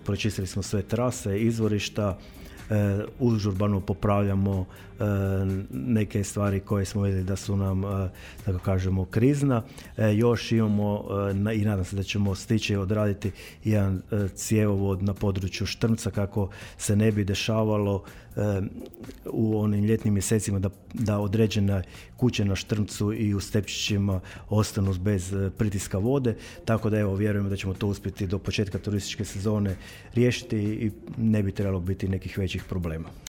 pročistili smo sve trase, izvorišta, užurbano popravljamo neke stvari koje smo vidjeli da su nam, tako kažemo, krizna. Još imamo i nadam se da ćemo stići odraditi jedan cjevovod na području Štrmca kako se ne bi dešavalo u onim ljetnim mjesecima da određene kuće na Štrmcu i u Stepčićima ostanu bez pritiska vode, tako da evo vjerujemo da ćemo to uspjeti do početka turističke sezone riješiti i ne bi trebalo biti nekih većih problema.